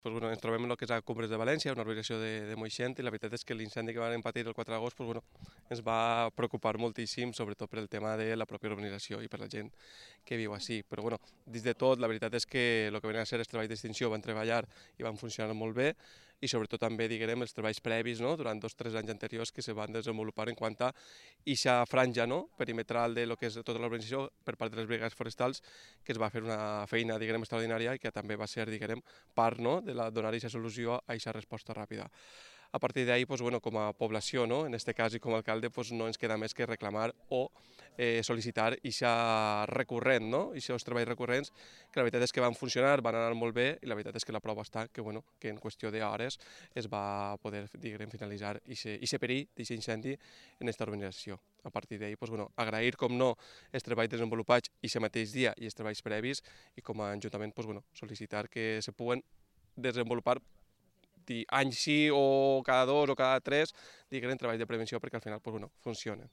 Pues bueno, ens trobem en el que és a Cumbres de València, una urbanizació de Moixent, i la veritat és que l'incendi que van patir el 4 d'agost pues bueno, ens va preocupar moltíssim, sobretot per el tema de la pròpia urbanització i per la gent que viu així. Però bueno, dins de tot, la veritat és que el que venen a ser els treballs d'extinció van treballar i van funcionar molt bé, i sobretot també, diguem, els treballs previs, no?, durant 2 o 3 anys anteriors que se van desenvolupar en quant a eixa franja, no?, perimetral de lo que és tota l'urbanització per part de les brigades forestals, que es va fer una feina, diguem, extraordinària i que també va ser, diguem, part, no?, de donar aquesta solució a aquesta resposta ràpida. A partir d'ahí, pues, bueno, com a població, no?, en aquest cas i com a alcalde, pues, no ens queda més que reclamar o sol·licitar aquesta recurrent, no?, aquests treballs recurrents, que la veritat és que van funcionar, van anar molt bé, i la veritat és que la prova està que, bueno, que en qüestió d'hores es va poder, diguem, finalitzar aquest perill d'aquest incendi en aquesta urbanització. A partir d'ahí, pues, bueno, agrair, com no, els treballs desenvolupats aquest mateix dia i els treballs previs, i com a Ajuntament, pues, bueno, sol·licitar que se puguen desenvolupar anys sí o cada 2 o cada 3, diguem, treballs de prevenció perquè al final pues, bueno, funcionen.